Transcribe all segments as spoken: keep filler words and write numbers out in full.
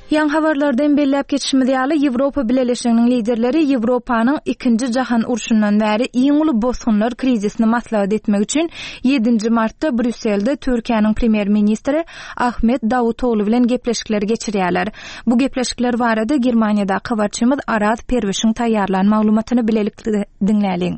Ýaňy habarlardan belläp geçişimiz ýaly, Ýewropa Bileleşiginiň liderleri Ýewropanyň Ikinji jahan urşundan bäri iň uly bosgunlar krizisini maslahat etmek üçin ýedinji martda Brýusselde Türkiýäniň premýer-ministri Ahmet Dawutogly bilen gepleşikleri geçirýärler. Bu gepleşikler barada Germaniýadaky habarçymyz Araz Perwişiň taýýarlan maglumatyny bilelikde diňläliň.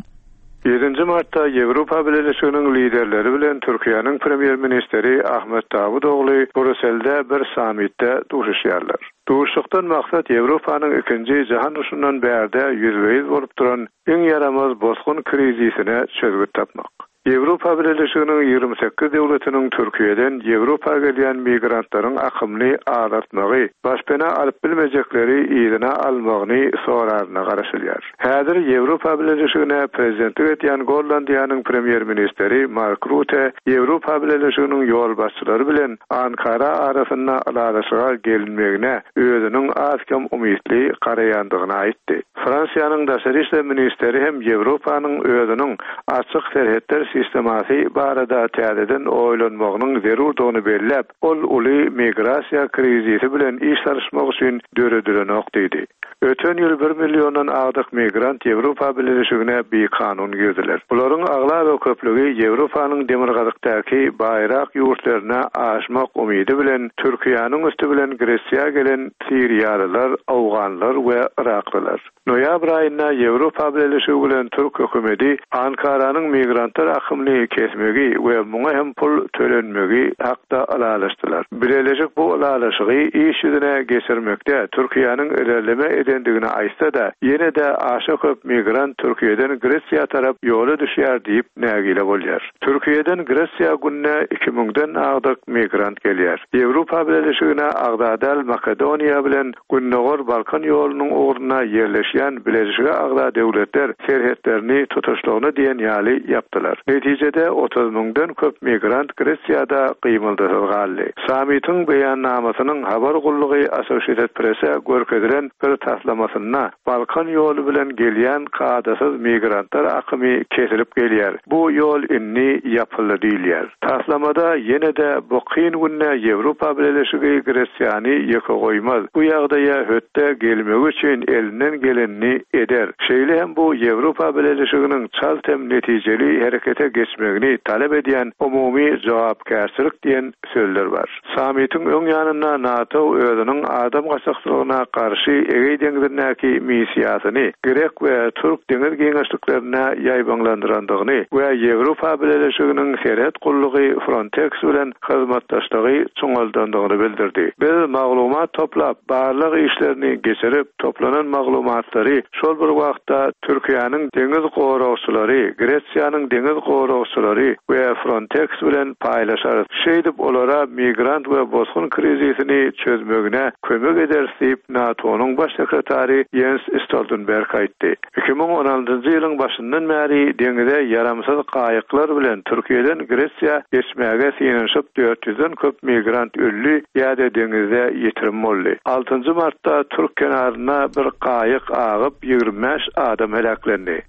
Ýedinji martda Ýewropa Bileleşiginiň liderleri bilen Türkiýäniň premýer-ministri Ahmet Dawutogly Brýusselde bir sammitde duşuşýarlar. Duşuşykdan maksat Ýewropanyň ikinji jahan urşundan bärde ýüzbe-ýüz bolup duran iň ýaramaz bosgun krizisine çözgüt tapmak. Ýewropa Bileleşiginiň ýigrimi sekiz döwletiniň Türkiýeden Ýewropa gelýän migrantlaryň akymyny azaltmagy, başpena alyp bilmejekleri yzyna almagyny soraryna garaşylýar. Häzir Ýewropa Bileleşigine prezidentlik edýän Gollandiýanyň premýer-ministri Mark Rutte Ýewropa Bileleşiginiň ýolbaşçylary bilen Ankara arasynda ylalaşyga gelinmegine özüniň az-kem umytly garaýandygyny aýtdy. Fransiýanyň daşary işler ministri hem Ýewropanyň özüniň açyk serhetler sistemasy barada täzeden oýlanmagynyň zerurdygyny belläp, ol uly migrasiýa krizisi bilen iş salyşmak üçin döredilenok diýdi. Öten ýyl bir milliondan agdyk migrant Ýewropa Bileleşigine bikanun girdiler. Bularyň aglaba köplügi Ýewropanyň demirgazykdaky baýrak ýurtlaryna aşmak umydy bilen Türkiýäniň üsti bilen Gresiýa gelen Siriýalylar, Awganlar we Iraklylar. Noýabr aýynda Ýewropa Bileleşigi bilen Türk hökümeti Ankaranyň migrantlar akymyny kesmegi we muňa hem pul tölenmegi hakda ylalaşdylar. Bileleşik bu ylalaşygy iş ýüzüne geçirmekde Türkiýäniň ilerleme edendigini aýtsa-da, ýene-de aşa köp migrant Türkiýeden Gresiýa tarap ýola düşýär diýip nägile bolýar. Türkiýeden Gresiýa gününe iki müňden agdyk migrant gelýär. Ýewropa Bileleşigine agza däl Makedoniýa bilen Gündogar Balkan ýolunyň ugruna ýerleşýän Bileleşige agza döwletler serhetlerini tutuşlygyna diýen ýaly ýapdylar. Netijede otuz müňden köp migrant Gresiýada gymyldysyz galdy. Sammitiň beýannamasynyň habar gullugy Associated Press-e görkezilen bir taslamasynda Balkan ýoly bilen gelýän kadasyz migrantlar akymy kesilip gelýär. Bu ýol indi ýapyldy diýilýär. Taslamada ýene-de bu kyn günde Ýewropa Bileleşigi Gresiýany ýeke goýmaz. Bu ýagdaýa hötde gelmegi üçin elinden gelenini eder. Şeýle hem bu Ýewropa Bileleşiginiň çalt hem netijeli herekete geçmegini talap edýän umumy jogapkärçilik diýen sözler bar. Sammitiň öň ýanynda NATO özüniň adam gaçakçylygyna garşy Egeý deňzindäki missiýasyny Grek we Türk deňiz giňişliklerine ýaýbaňlandyrandygyny we Ýewropa Bileleşiginiň serhet gullugy Frontex bilen hyzmatdaşlygy çuňaldandygyny bildirdi. Biz maglumat toplap, barlag işlerini geçirip, toplanan maglumatlary şol bir wagtda Türkiýäniň deňiz goragçylary, Gresiýanyň deňiz goragçylary we Frontex bilen paýlaşarys. Şeýdip olara migrant we bosgun krizisini çözmegine kömek ederis diýip NATO-nyň baş sekretary Jens Stoltenberg aýtdy. iki müň on altynjy ýylyň başyndan bäri deňize ýaramsyz gaýyklar bilen Türkiýeden Gresiýa geçmäge synanyşyp dört ýüzden köp migrant öldi ýa-da deňizde ýitirim boldy. Altynjy martda Türk kenaryna bir gaýyk agyp ýigrimi bäş adam heläklendi.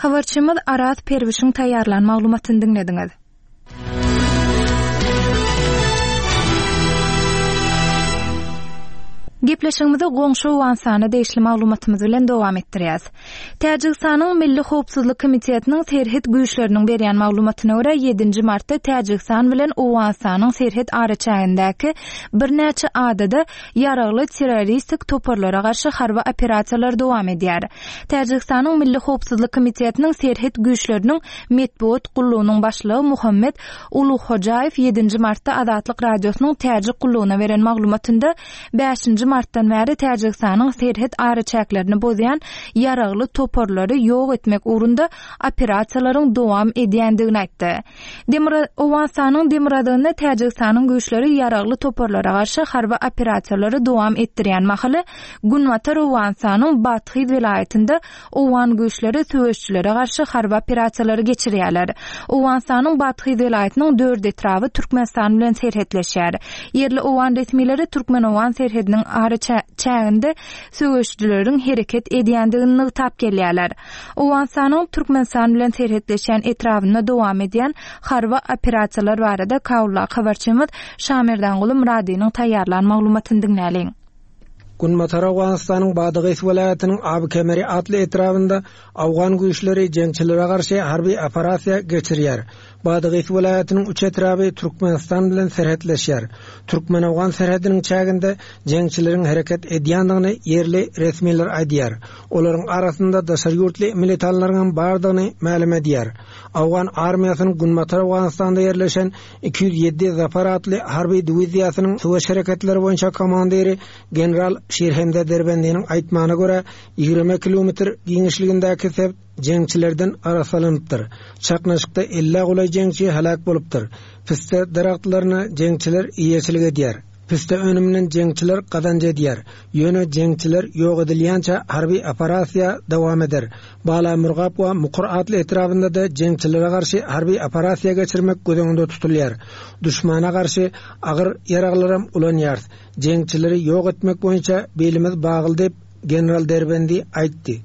Habarçymyz Araz Perwişiň taýýarlan maglumatyny diňlediňiz. Gepleşigimizi goňşy Owganystana degişli maglumatymyz bilen dowam etdirýäs. Täjigistanyň Milli Howpsuzlyk Komitetiniň serhet güýçleriniň berýän maglumatyna görä ýedinji martda Täjigistan bilen Owganystanyň serhet araçägindäki birnäçe adada ýaragly terroristik toparlara garşy harby operasiýalar dowam edýär. Täjigistanyň Milli Howpsuzlyk Komitetiniň serhet güýçleriniň metbugat gullugynyň başlygy Muhammed Uluhojaýew ýedinji martda Azatlyk Radiosynyň Täjik gullugyna beren maglumatynda bäşinji martdan bäri Täjigistanyň serhet araçäklerini bozýan ýaragly toparlary ýok etmek ugrunda operasiýalaryň dowam edýändigini aýtdy. Demir-, Owganystanyň demirgazygynda Täjigistanyň güýçleri ýaragly toparlara garşy harby operasiýalary dowam etdirýän mahaly Günbatar Owganystanyň Bathyz welaýatynda Owgan güýçleri söweşçilere garşy harby operasiýalary geçirýärler. Owganystanyň Bathyz welaýatynyň dört etraby Türkmenistan bilen serhetleşýär. Ýerli owgan resmileri Türkmen-Owgan serhediniň ara çä-, çäginde söweşçileriň hereket edýändigini nygtap gelýärler. Owganystanyň Türkmenistan bilen serhetleşýän etrabynda dowam edýän harby operasiýalar barada Kabuldaky habarçymyz Şamerdanguly Muradynyň taýýarlan maglumatyny diňläliň. Günbatar Owganystanyň Badagys welaýatynyň Abykemeri atly etrabynda Awgan güýçleri jeňçilere garşy harby operasiýa geçirýär. Badagys welaýatynyň üç etraby Türkmenistan bilen serhetleşýär. Türkmen-Awgan serhediniň çäginde jeňçileriň hereket edýändigini ýerli resmiler aýdýar. Olaryň arasynda daşary ýurtly militanlaryň hem bardygyny mälim edýär. Awgan armiýasynyň Günbatar Owganystanda ýerleşen iki ýüz ýedi Zafar atly harby diwiziýasynyň söweş hereketleri boýunça komandiri general Şirhemze Derbendiniň aýtmagyna görä, ýigrimi kilometr giňişligindäki sebit jeňçilerden arassalanypdyr. Çaknyşykda elli golaý jeňçi heläk bolupdyr. Piste daragtlaryna jeňçiler eýeçilik edýär. Piste önüminden jeňçiler gazanç edýär. Ýöne jeňçiler ýok edilýänçä harby operasiýa dowam eder. Bala Murgap we Mukur atly etrabynda da jeňçilere garşy harby operasiýa geçirmek göz öňünde tutulýar. Düşmana garşy agyr ýaraglaram ulanýar. Jeňçileri ýok etmek boýunça belimiz bagly diýip general Derbendi aýtdy.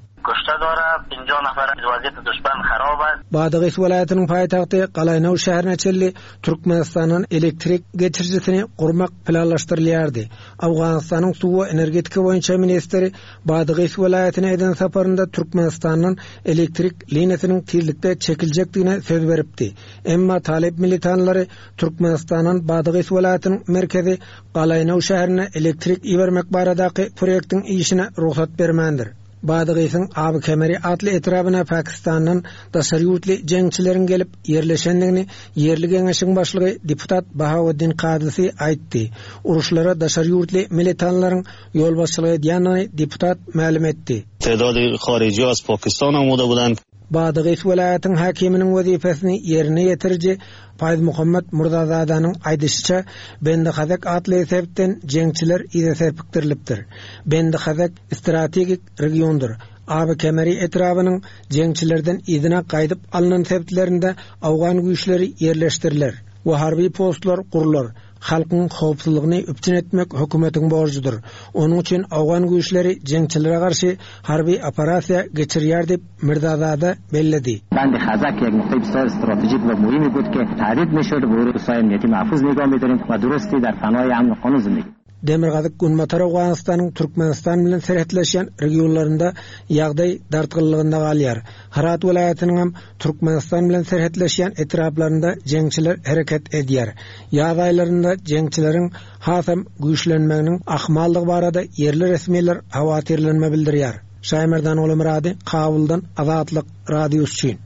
Badagys welaýatynyň paýtagty Galaýnaw şäherine çenli Türkmenistandan elektrik geçirijisini gurmak planlaşdyrylýardy. Awganystanyň suw we energetika boýunça ministri Badagys welaýatyna eden saparynda Türkmenistandan elektrik liniýasynyň tizlikde çekiljekdigine söz beripdi. Emma Talip militanlary Türkmenistandan Badagys welaýatynyň merkezi Galaýnaw şäherine elektrik ibermek baradaky proýektiň işine rugsat bermändir. Badygysyň Abykemeri atly etrabyna Pakistandan daşary ýurtly jeňçileriň gelip ýerleşendigini ýerli geňeşiň başlygy deputat Bahaweddin Kadysy aýtdy. Uruşlara daşary ýurtly militanlaryň ýolbaşçylyk edýändigini deputat mälim etdi. Tedadi harici az Pakistan amuda budan. Badygys welaýatyň häkiminiň wezipesini ýerine ýetiriji Faýz Muhammed Murzazadanyň aýdyşyça Bendihazak atly sebitden jeňçiler yza serpikdirilipdir. Bendihazak strategik regiondyr. Abykemeri etrabynyň jeňçilerden yzyna gaýdyp alnan sebitlerinde Awgan güýçleri ýerleşdiriler we harby postlar gurlar. Halkyň howpsuzlygyny üpjün etmek hökümetiň borjudyr. Onuň üçin Awgan güýçleri jeňçilere garşy harby operasiýa geçirýär diýip Mirzazada belledi. Bendihazak یک نقطه بسیار استراتژیک و مهمی بود که تهدید میشد و روسای امنیتی محفوظ نگاه می‌داریم و درستی در پناه امن قانون زندگی. Demirgazyk Günbatar Owganystanyň Türkmenistan bilen serhetleşýän regionlarynda ýagdaý dartgynlygynda galýar. Herat welaýatynyň hem Türkmenistan bilen serhetleşýän etraplarynda jeňçiler hereket edýär. Ýaz aýlarynda jeňçileriň hasam güýçlenmeginiň ahmallygy barada ýerli resmiler hawatirlenme bildirýär. Şaýmerdan Olamurady, Kabuldan Azatlyk Radiosy üçin.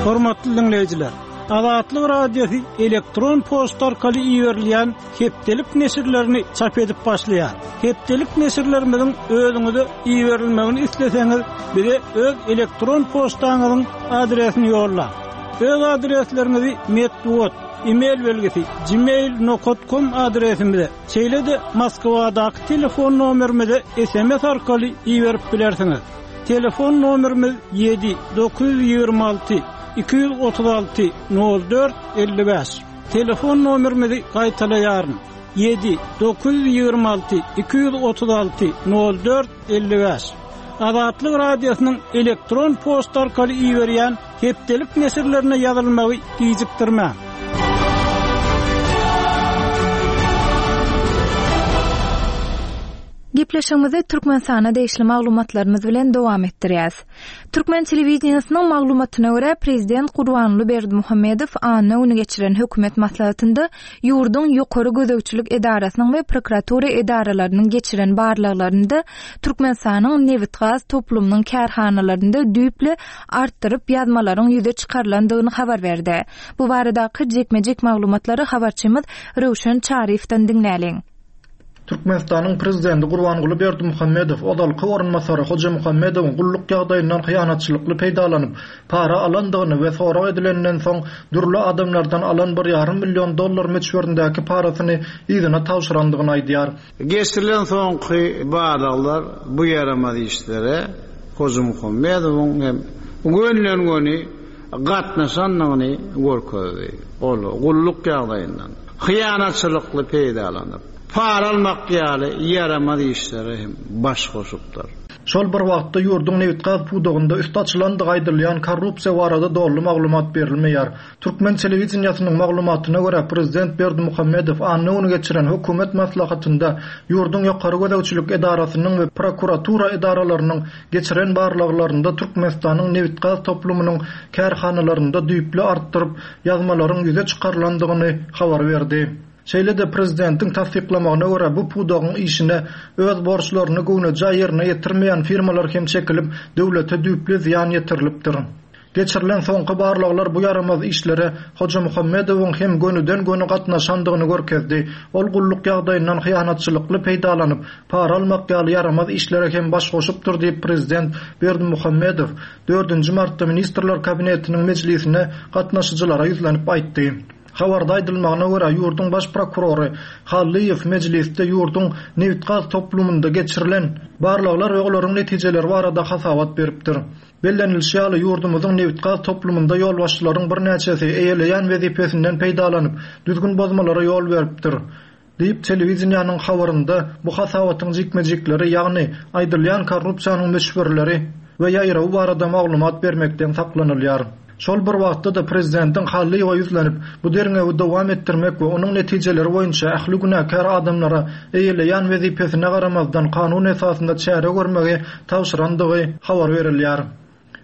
Hormatly dinleýjiler, Azatlyk Radiosy elektron poçta arkaly iberilýän hepdelik neşirlerini çap edip başlaýar. Hepdelik neşirlerimiziň özüňize iberilmegini isleseňiz, bize öz elektron poçtaňyzyň adresini ýollaň. Öz adresleriňizi metbugat, e-mail belgisi gmail nokta com adresimize, şeýle-de Moskwadaky telefon nomerimize S M S arkaly iberip bilersiňiz. Telefon nomerimiz ýedi dokuz ýüz ýigrimi alty iki ýüz otuz alty nol dört elli bäş. Telefon nomerimizi gaýtalaýaryn. Ýedi dokuz ýüz ýigrimi alty iki ýüz otuz alty nol dört elli bäş. Azatlyk Radiosynyň elektron poçta arkaly iberýän hepdelik neşirlerine ýazylmagy gijikdirmäň. Gepleşigimizi Türkmenistana degişli maglumatlarymyz bilen dowam etdirýäs. Türkmen telewideniýesiniň maglumatyna görä prezident Gurbanguly Berdimuhamedow anna güni geçiren hökümet maslahatynda ýurduň ýokary gözegçilik edarasynyň we prokuratura edaralarynyň geçiren barlaglarynda Türkmenistanyň nebit-gaz toplumynyň kärhanalarynda düýpli artdyryp ýazmalaryň ýüze çykarylandygyny habar berdi. Bu baradaky jekme-jek maglumatlary habarçymyz Röwşen Çaryýewden diňläliň. Türkmenistanyň prezidenti Gurbanguly Berdimuhamedow ozalky orunbasary Hoja Muhammedowyň gulluk ýagdaýyndan hyýanatçylykly peýdalanyp, para alandygyny we sorag edilenden soň dürli adamlardan alan bir ýarym million dollar möçberindäki parasyny yzyna tabşyrandygyny aýdýar. Geçirilen soňky barlaglar bu ýaramaz işlere Hoja Muhammedowyň hem gönülen-göni gatnaşandygyny görkezdi. Ol gulluk ýagdaýyndan hyýanatçylykly peýdalanyp, para almak ýaly ýaramaz işlere hem baş goşupdyr. Şol bir wagtda ýurduň nebit-gaz pudagynda üsti açylandygy aýdylýan korrupsiýa barada doly maglumat berilmeýär. Türkmen telewideniýesiniň maglumatyna görä, prezident Berdimuhamedow anna güni geçiren hökümet maslahatynda ýurduň ýokary gözegçilik edarasynyň we prokuratura edaralarynyň geçiren barlaglarynda Türkmenistanyň nebit-gaz toplumynyň kärhanalarynda düýpli artdyryp ýazmalaryň ýüze çykarylandygyny habar berdi. Şeýle-de prezidentiň tassyklamagyna görä, bu pudagyň işine öz borçlaryny göwnejaý ýerine ýetirmeýän firmalar hem çekilip, döwlete düýpli zyýan ýetirilipdir. Geçirilen soňky barlaglar bu ýaramaz işlere Hojamuhammedowyň hem gönüden-göni gatnaşandygyny görkezdi. Ol gulluk ýagdaýyndan hyýanatçylykly peýdalanyp, para almak ýaly ýaramaz işlere hem baş goşupdyr diýip prezident Berdimuhamedow dördünji martda Ministrler Kabinetiniň mejlisine gatnaşyjylara ýüzlenip aýtdy. Habarda aýdylmagyna görä, ýurduň baş prokurory Hallyýew mejlisde ýurduň nebit-gaz toplumynda geçirilen barlaglar we olaryň netijeleri barada hasabat beripdir. Bellenilişi ýaly, ýurdumyzyň nebit-gaz toplumynda ýolbaşçylaryň birnäçesi eýeleýän wezipesinden peýdalanyp, düzgün bozmalara ýol beripdir diýip telewideniýanyň habarynda bu hasabatyň jikme-jikleri, ýagny aýdylýan korrupsiýanyň möçberleri we ýaýrawy barada maglumat bermekden saklanylýar. Şol bir wagtda-da prezidentiň Hallyýewe ýüzlenip, bu derňewi dowam etdirmek we onuň netijeleri boýunça ähli günäkär adamlara eýeleýän wezipesine garamazdan kanun esasynda çäre görmegi tabşyrandygy habar berilýär.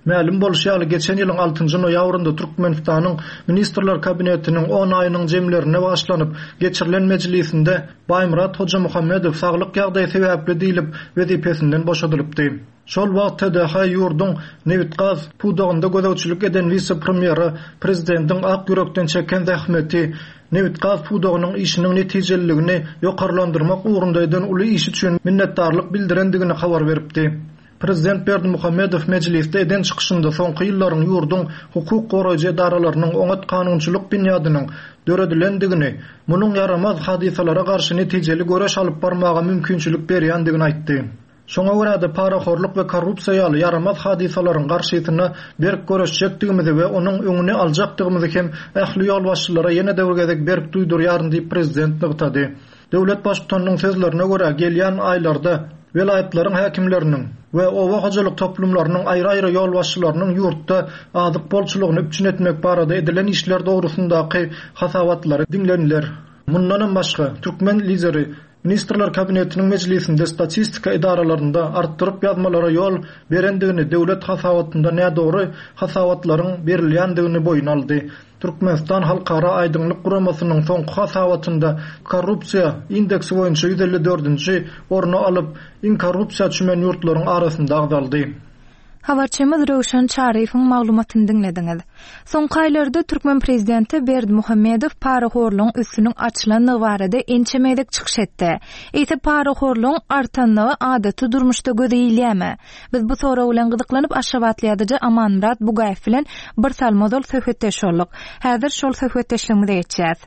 Mälim bolşy ýaly, geçen ýylyň altynjy noýabrynda Türkmenistanyň Ministrler Kabinetiniň on aýynyň jemlerine bagyşlanyp geçirilen mejlisinde Baýmyrat Hojamuhammedow saglyk ýagdaýy sebäpli diýlip wezipesinden boşadylypdy. Şol wagt T D H ýurduň nebit-gaz pudagynda gözegçilik eden wise-premýeri prezidentiň ak ýürekden çeken zähmeti, nebit-gaz pudagynyň işiniň netijeliligini ýokarlandyrmak ugrunda eden uly iş üçin minnetdarlyk bildirendigini habar beripdi. Prezident Berdimuhamedow mejlisde eden çykyşynda soňky ýyllaryň ýurduň hukuk goraýjy edaralarynyň oňat kanunçylyk binýadynyň döredilendigini, munuň ýaramaz hadysalara garşy netijeli göreş alyp barmaga mümkinçilik berýändigini aýtdy. Şoňa görä-de parahorluk we korrupsiýa ýaly ýaramaz hadysalaryň garşysyna berk göreşjekdigimizi we onuň öňüni aljakdygymyzy hem ähli ýolbaşçylara ýene-de bir gezek berk duýdurýaryn diýip prezident nygtady. Döwlet baştutanynyň sözlerine görä, gelýän aýlarda welaýatlaryň häkimleriniň we oba hojalyk toplumlarynyň aýry-aýry ýolbaşçylarynyň ýurtda azyk bolçulygyny üpjün etmek barada edilen işler dogrusyndaky hasabatlary diňleniler. Mundanam başga, türkmen lideri Ministrler Kabinetiniň mejlisinde statistika edaralarynda artdyryp ýazmalara ýol berendigini, döwlet hasabatynda nädogry hasabatlaryň berilýändigini boýun aldy. Türkmenistan Halkara Aýdyňlyk Guramasynyň soňky hasabatynda korrupsiýa indeksi boýunça ýüz elli dördünji orny alyp, iň korrupsiýa çümen ýurtlaryň arasynda agzaldy. Habarçymyz Röwşen Çaryýewiň maglumatyny diňlediňiz. Soňky aýlarda türkmen prezidenti Berdimuhamedow parahorlugyň üstüniň açylandygy barada ençeme gezek çykyş etdi. Eýse parahorlugyň artanlygy adaty durmuşda göze ilýärmi? Biz bu sorag bilen gyzyklanyp Aşgabatly ýazyjy Amanmyrat Bugaýew bilen bir salym ozal söhbetdeş bolduk. Häzir şol söhbetdeşligimize geçýäs.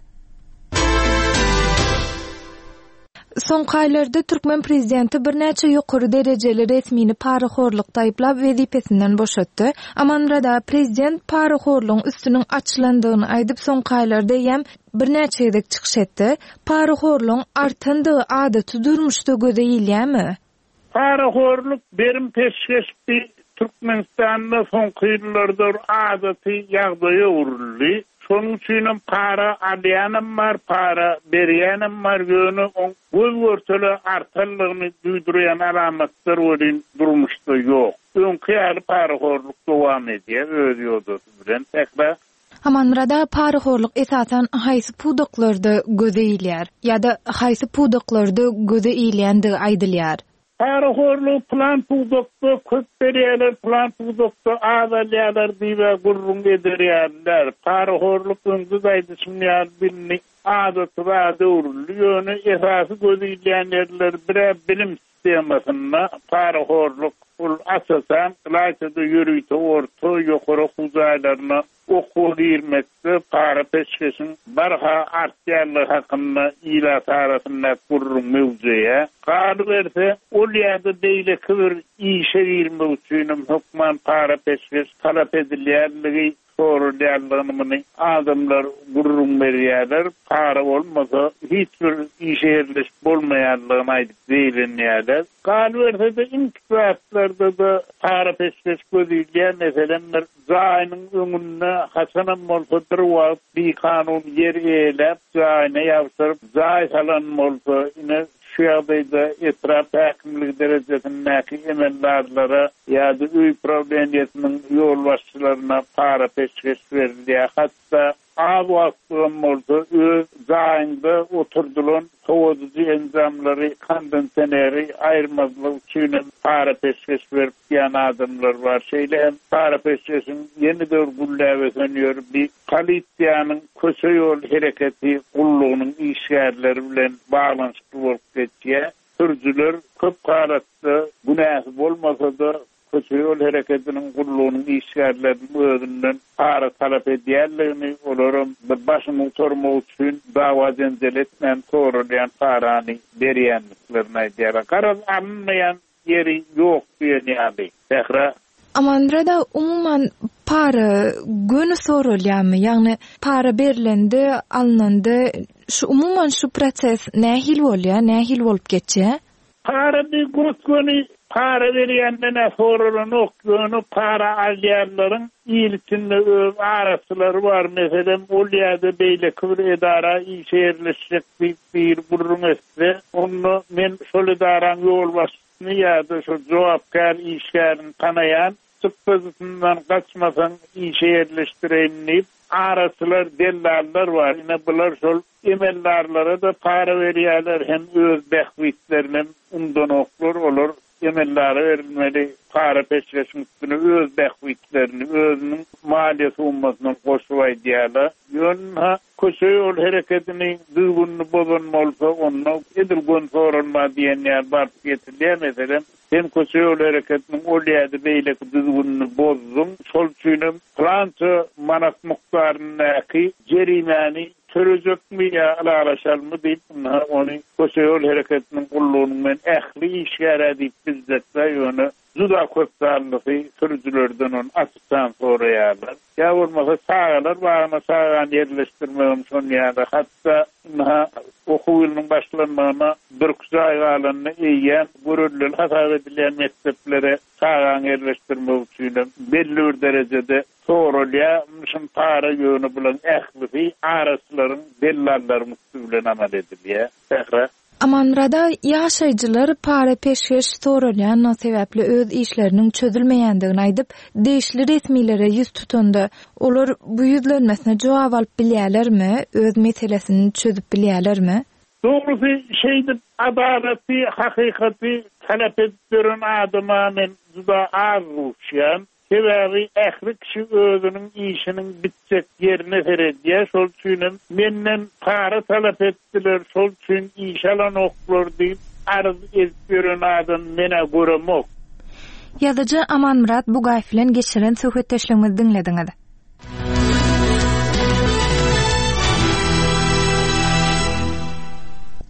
Soňky aýlarda türkmen prezidenti birnäçe ýokary derejeli resmini parahorlukda aýyplap wezipesinden boşatdy. Amanmyrat aga, prezident parahorlugyň üstüniň açylandygyny aýdyp soňky aýlarda eýýäm birnäçe gezek çykyş etdi. Parahorlugyň artandygy adaty durmuşda göze ilýärmi? Parahorluk berim peşgeşdi Türkmenistanda soňky ýyllarda adaty ýagdaýa öwrüldi. Şonuň üçinem para alýanam bar, para berýänem bar, ýöne oň göz görtele artanlygyny duýdurýan alamatlar welin durmuşda ýok. Öňki ýaly parahorluk dowam edýär öz ýodasy bilen. Sähra. Amanmyrat aga, parahorluk esasan haýsy pudaklarda göze ilýär ýa-da haýsy pudaklarda göze ilýändigi aýdylýar? Parahorluk plan pudakda köp berýärler, plan pudakda az alýarlar diýip gürrüň ederýärler. Parahorluk öňde aýdyşym ýaly bilini adaty zada öwrüldi. Ýöne esasy göz ilýän ýerler bire bilim sistemasynda parahorluk ol asasan ylaýtada ýörite orta ýokary okuw jaýlaryna okuwa girmekde para peşgeşiň barha artýanlygy hakynda ilat arasynda gürrüň mewzuýa. Galyberse, ol ýa-da beýleki bir işe girmek üçinem hökman para peşgeş talap edilýänligi sorulýandygyny muny adamlar gürrüň berýärler. Para bolmasa hiç bir işe ýerleşip bolmaýandygyny aýdyp zeýrenýärler. Galyberse-de iň kiçi zatlarda-da para-peşgeş göz ilýär. Meselem, bir jaýynyň öňünde haçanam bolsa bir wagt bikanun ýer eýeläp, jaýyna ýapyşdyryp, jaý salan bolsa, ine şu ýagdaýda etrap häkimligi derejesindäki emeldarlara ýa-da öý prawleniýesiniň ýolbaşçylaryna para-peşgeş berilýär. Hatda az wagtlygam bolsa öz jaýyňda oturdylan sowadyjy enjamlary, kondisioneri aýyrmazlyk üçin hem para-peşgeş berip diýen adamlar bar. Şeýle hem para-peşgeşiň ýene-de bir gülläp ösen ýeri bir polisiýanyň köçe ýol hereketi gullugynyň işgärleri bilen baglanyşykly bolup geçýär. Sürüjiler köp halatda günäsi bolmasa-da köçe ýol hereketiniň gullugynyň işgärleriniň özünden para talap edýänligini, olaram bir başyny gutarmak üçin dawa jenjel etmän sorulýan parany berýändiklerini aýdýarlar. Garaz, alynmaýan ýeri ýok diýen ýaly. Sähra. Amanmyrat aga, umuman para göni sorulýarmy? Ýagny para berlende, alynanda şu umuman şu proses nähili bolýar, nähili bolup geçýär? Para bir gös-göni para berýänden-ä sorulanok, ýöne para alýanlaryň il içinde öz araçylary bar. Meselem, ol ýa-da beýleki bir edara işe ýerleşjek diýip bir gürrüň etse, onda men şol edaraň ýolbaşçysyny ýa-da şol jogapkär işgärini tanaýan, çykdajysyndan gaçmasaň işe ýerleşdireýin diýip, araçylar, dellallar bar. Ine bular şol emeldarlara-da para berýärler, hem öz bähbitlerini hem undanoklar, olar emeldara berilmeli para peşgeşiň üstüne öz bähbitlerini, özüniň maliýe summasyny goşup aýdýarlar. Ýöne köçe ýol hereketini düzgünini bozan bolsa, onda edil gön sorulma diýen ýaly baryp ýetilýär. Meselem, sen köçe ýol hereketiniň ol ýa-da beýleki düzgünini bozduň, şol üçin hem plança manat mukdaryndaky jerimäni törejekmi ýa ylalaşalmy diýip, ynha ony köçe ýol hereketiniň gullugynyň men ähli işgärä diýip biljekler, ýöne juda köp sanlysy sürüjilerden ony açykdan soraýarlar. Ýa bolmasa çagalar bagyna çagany ýerleşdirmegem şon ýaly, hatda ynha okuw ýylynyň başlanmagyna bir iki aý galanda eýýäm görelde hasap edilýän mekdeplere çagany ýerleşdirmek üçin hem belli bir derejede sorulýar. Şun para ýöne bulan ählisi araçylaryň, dellallaryň üstü bilen amal edilýär. Sähra. Amanmyrat aga, ýaşaýjylar para peşgeş sorulýanlygy sebäpli öz işleriniň çözülmeýändigini aýdyp, degişli resmilere ýüz tutanda, olar bu ýüzlenmesine jogap alyp bilýärlermi, öz meselesini çözüp bilýärlermi? Dogrusy şeýdip adalaty, hakykaty talap edip ýören adama men juda az duşýan. Sebäbi ähli kişi özüniň işiniň bitjek ýerine seredýär. Şol üçin hem menden para talap etdiler, şol üçin iş alanoklar diýip arz edip ýören adam menä göremok. Ýazyjy Amanmyrat Bugaýew bilen geçiren söhbetdeşligimizi diňlediňiz.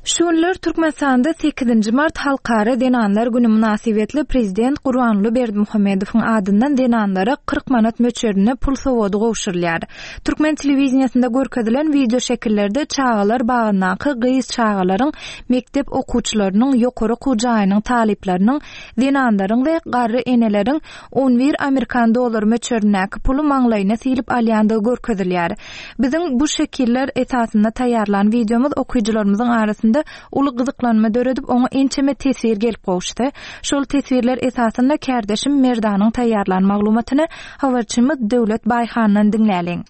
Şu günler Türkmenistanda sekizinji mart Halkara Zenanlar Günü mynasybetli Prezident Gurbanguly Berdimuhamedowyň adyndan zenanlara kyrk manat möçberinde pul sowgady gowşurylýar. Türkmen telewideniýesinde görkezilen wideo şekillerde çagalar bagyndaky gyz çagalaryň, mekdep okuwçylarynyň, ýokary okuw jaýynyň talyplarynyň, zenanlaryň we garry eneleriň on bir amerikan dollary möçberindäki puly maňlaýyna silip alýandygy görkezilýär. Biziň bu şekiller esasynda taýýarlan wideomyz okyjylarymyzyň arasynda uly gyzyklanma döredip, oňa ençeme teswir gelip gowuşdy. Şol teswirler esasynda kärdeşim Merdanyň taýýarlan maglumatyny habarçymyz Döwlet Baýhandan diňläliň.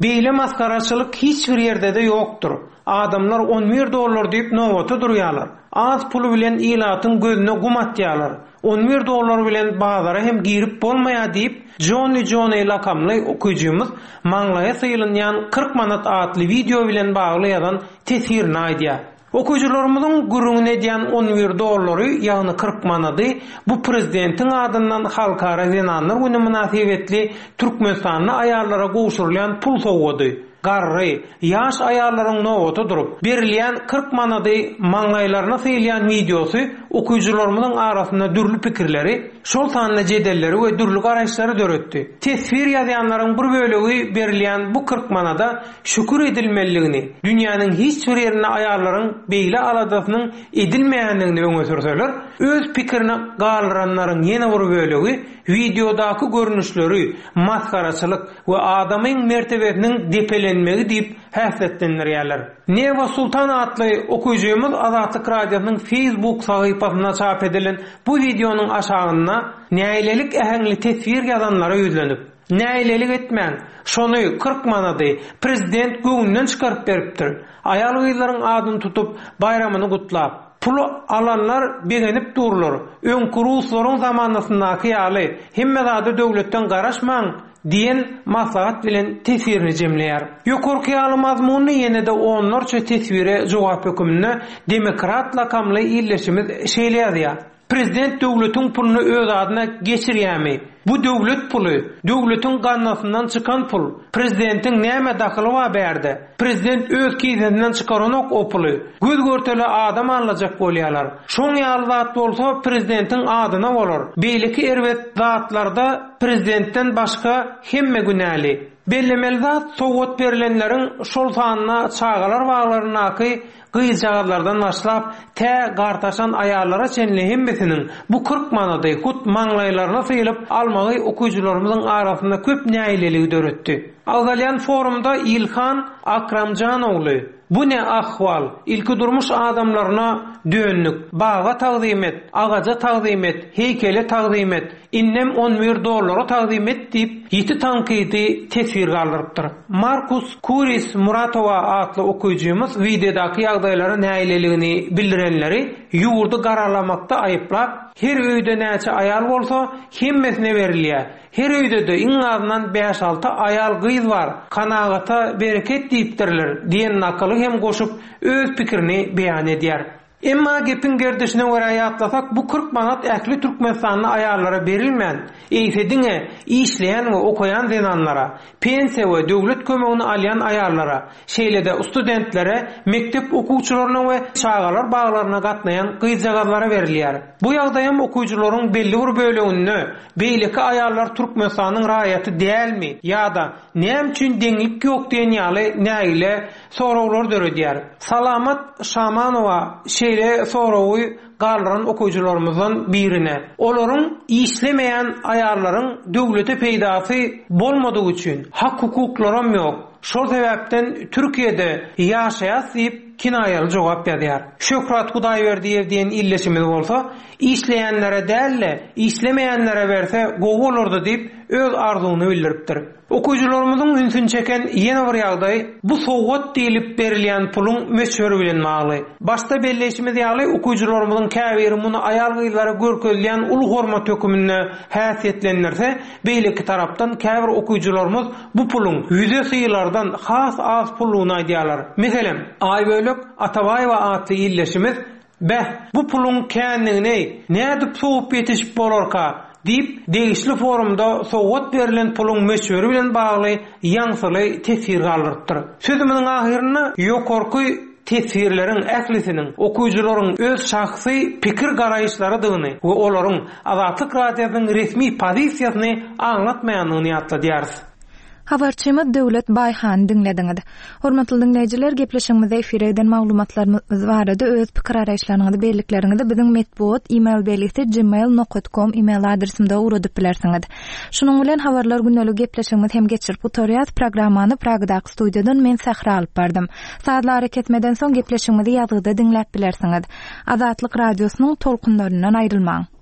Beýle maskaraçylyk hiç bir ýerde-de ýokdur. Adamlar on bir dollar diýip nobata durýarlar. Az puly bilen ilatyň gözüne gum atýarlar. On bir dollar bilen bazara hem girip bolmaýar diýip, Johnny Johnny lakamly okyjymyz maňlaýa syýlynýan kyrk manat atly wideo bilen bagly ýazan teswirini aýdýar. Okyjylarymyzyň gürrüňini edýän on bir dollary, ýagny kyrk manady bu prezidentiň adyndan Halkara Zenanlar Günü mynasybetli Türkmenistanda aýallara gowşurylýan pul sowgady. Garry, ýaş aýallaryň nobata durup, berilýän kyrk manady maňlaýlaryna syýylýan wideosy okyjylarymyzyň arasynda dürli pikirleri, şol sanda jedelleri we dürli garaýyşlary döretdi. Teswir ýazýanlaryň bir bölegi berilýän bu kyrk manada şükür edilmelidigini, dünýäniň hiç bir ýerinde aýallaryň beýle aladasynyň edilmeýändigini öňe sürseler, öz pikirini galdyranlaryň ýene bir bölegi wideodaky görnüşleri masgaraçylyk we adamyň mertebesiniň depelenmegi diýip häsiýetlendirýärler. Neva Sultan atly okyjymyz Azatlyk Radiosynyň Facebook sahypasynda çap edilen bu wideonyň aşagynda nägilelik äheňli teswir ýazanlara ýüzlenip, Nägilelik etmäň, şony kyrk manady prezident göwnünden çykaryp beripdir. Aýal-gyzlaryň adyny tutup, baýramyny gutlap. Puly alanlar begenip durlar. Öňki ruslaryň zamanasyndaky ýaly, hemme zada döwletden garaşmaň diýen maslahat bilen teswirini jemleýär. Ýokarky ýaly mazmunly ýene-de onlarça teswire jogap höküminde Demokrat lakamly ildeşimiz şeýle ýazýar, Prezident döwletiň puluny öz adyna geçirýärmi? Bu döwlet puly, döwletiň gaznasyndan çykan pul. Prezidentiň näme dahyly bar bärde? Prezident öz kisesinden çykaranok o puly. Göz görtele adam aldajak bolýarlar. Şoň ýaly zat bolsa prezidentiň adyna bolar. Beýleki erbet zatlarda prezidentden başga hemme günäli. Bellemeli zat, sowgat berlenleriň, şol sanda çagalar baglaryndaky gyzjagazlardan başlap, tä gartaşan aýallara çenli hemmesiniň bu kyrk manady hut maňlaýlaryna sylyp almagy okyjylarymyzyň arasynda köp nägileligi döretdi. Agzalýan forumda Ilhan Akramjanogly, Bu ne ahwal, ilkidurmuş adamlaryna döndük, baga tagzym et, agaja tagzym et, heýkele tagzym et, indem on bir dollara tagzym et diýip, ýiti tankydy teswir galdyrypdyr. Markus Kuris Muratowa atly okyjymyz wideodaky ýagdaýlara nägileligini bildirenleri ýurdy garalamakda aýyplap, Her öýde näçe aýal bolsa, hemmesine berilýär. Her öýde-de iň azyndan bäş-alty aýal-gyz bar, kanagata bereket diýipdirler diýen nakyly hem goşup, öz pikirini beýan edýär. Emma gepiň gerdişine görä ýatlasak, bu kyrk manat ähli türkmenistanly aýallara berilmän, eýse diňe işleýän we okaýan zenanlara, pensiýa we döwlet kömegini alýan aýallara, şeýle-de studentlere, mekdep okuwçylaryna we çagalar baglaryna gatnaýan gyzjagazlara berilýär. Bu ýagdaýam okyjylaryň belli bir böleginde beýleki aýallar Türkmenistanyň raýaty dälmi ýa-da näme üçin deňlik ýok diýen ýaly nägile soraglary döredýär. Salamat Şamanowa şeýle soragy galdyran okyjylarymyzdan birine, Olaryň işlemeýän aýallaryň döwlete peýdasy bolmadygy üçin hak-hukuklaram ýok, şol sebäpden Türkiýede ýaşaýas diýip kinaýaly jogap ýazýar. Şöhrat Hudaýberdiýew diýen ildeşimiz bolsa, Işleýänlere däl-de, işlemeýänlere berse gowy bolardy diýip öz arzuwyny bildiripdir. Okyjylarymyzyň ünsüni çeken ýene bir ýagdaý, bu sowgat diýlip berilýän puluň möçberi bilen bagly. Başda belleýşimiz ýaly, okyjylarymyzyň käbiri muny aýal-gyzlara görkezilýän uly hormat höküminde häsiýetlendirse, beýleki tarapdan käbir okyjylarymyz bu puluň ýüze sylardan has az pullugyny aýdýarlar. Meselem, Aýbölek Atabaýewa atly ildeşimiz, Beh, bu puluň känligini nädip sowup ýetişip bolarka? Diýip, degişli forumda sowgat berlen puluň möçberi bilen bagly ýaňsyly teswir galdyrypdyr. Sözümiziň ahyrynda ýokarky teswirleriň ählisiniň okyjylaryň öz şahsy pikir-garaýyşlarydygyny we olaryň Azatlyk Radiosynyň resmi pozisiýasyny aňlatmaýandygyny ýatladýarys. Habarçymyz Döwlet Baýhany diňlediňiz. Hormatly diňleýjiler, gepleşigimizde efire giden maglumatlarymyz barada öz pikir-garaýyşlaryňyzy, bellikleriňizi biziň metbugat e-mail belgisi gmail nokat com e-mail adresimize ugradyp bilersiňiz. Şunuň bilen Habarlar gündelik gepleşigimizi hem geçirip gutarýas. Programmany Pragadaky studiýadan men Sähra alyp bardym. Sazly arakesmeden soň gepleşigimizi ýazgyda diňläp bilersiňiz. Azatlyk Radiosynyň tolkunlaryndan aýrylmaň.